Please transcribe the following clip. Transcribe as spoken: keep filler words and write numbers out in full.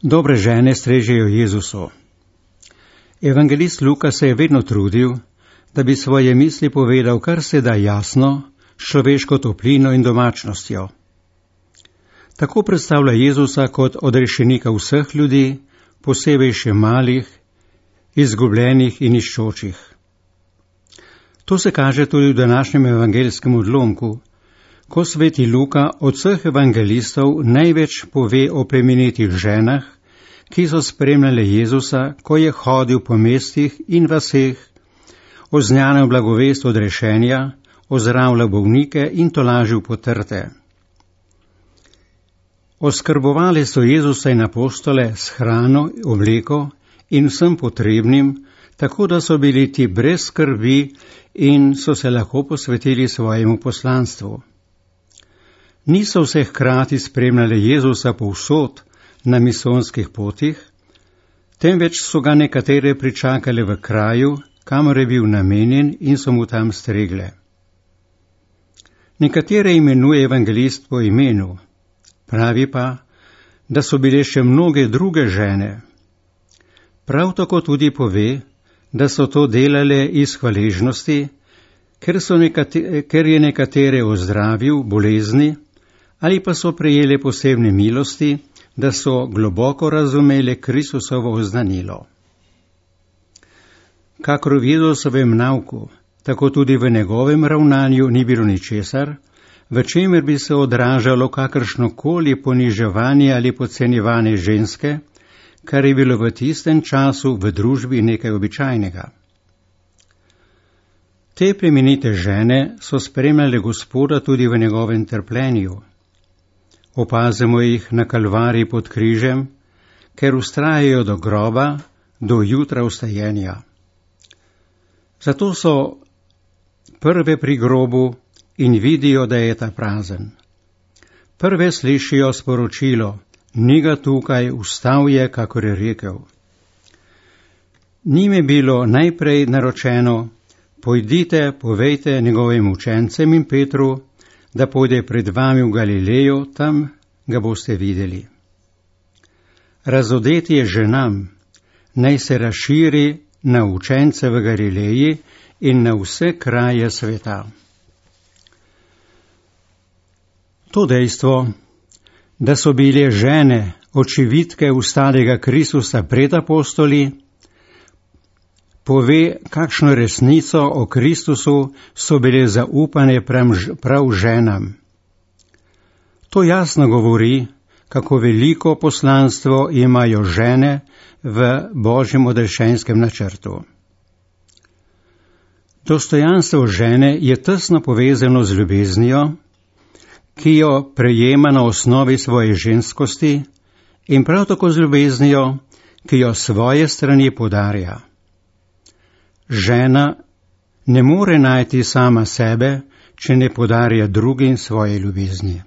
Dobre žene strežejo Jezusu. Evangelist Luka se je vedno trudil, da bi svoje misli povedal kar se da jasno, s človeško toplino in domačnostjo. Tako predstavlja Jezusa kot odrešenika vseh ljudi, posebej še malih, izgubljenih in iščočih. To se kaže tudi v današnjem evangelskem odlomku, ko sveti Luka od vseh evangelistov največ pove o plemenitih ženah, ki so spremljale Jezusa, ko je hodil po mestih in vaseh, oznanjal blagovest odrešenja, ozdravljal bolnike in tolažil potrte. Oskrbovali so Jezusa in apostole s hrano, obleko in vsem potrebnim, tako da so bili ti brez skrbi in so se lahko posvetili svojemu poslanstvu. Niso vse hkrati spremljali Jezusa povsod na misonskih potih, temveč so ga nekatere pričakali v kraju, kamor je bil namenjen in so mu tam stregle. Nekatere imenuje evangelist po imenu, pravi pa, da so bile še mnoge druge žene. Prav tako tudi pove, da so to delale iz hvaležnosti, ker, so nekate, ker je nekatere ozdravil bolezni, ali pa so prejeli posebne milosti, da so globoko razumeli Kristusovo oznanilo. Kakor v Jezusovem nauku, tako tudi v njegovem ravnanju ni bilo ničesar, v čemer bi se odražalo kakršnokoli poniževanje ali podcenjevanje ženske, kar je bilo v tistem času v družbi nekaj običajnega. Te plemenite žene so spremljale Gospoda tudi v njegovem trpljenju. Opazimo jih na Kalvariji pod križem, ker vztrajajo do groba, do jutra vstajenja. Zato so prve pri grobu in vidijo, da je ta prazen. Prve slišijo sporočilo, ni ga tukaj, vstal je, kakor je rekel. Njim je bilo najprej naročeno, pojdite, povejte njegovim učencem in Petru, da pojde pred vami v Galilejo, tam ga boste videli. Razodeti je ženam, naj se razširi na učence v Galileji in na vse kraje sveta. To dejstvo, da so bile žene očividke ustalega Kristusa pred apostoli, pove, kakšno resnico o Kristusu so bile zaupane prav ženam. To jasno govori, kako veliko poslanstvo imajo žene v Božjem odrešenskem načrtu. Dostojanstvo žene je tesno povezano z ljubeznijo, ki jo prejema na osnovi svoje ženskosti in prav tako z ljubeznijo, ki jo svoje strani podarja. Žena ne more najti sama sebe, če ne podarja drugim svoje ljubezni.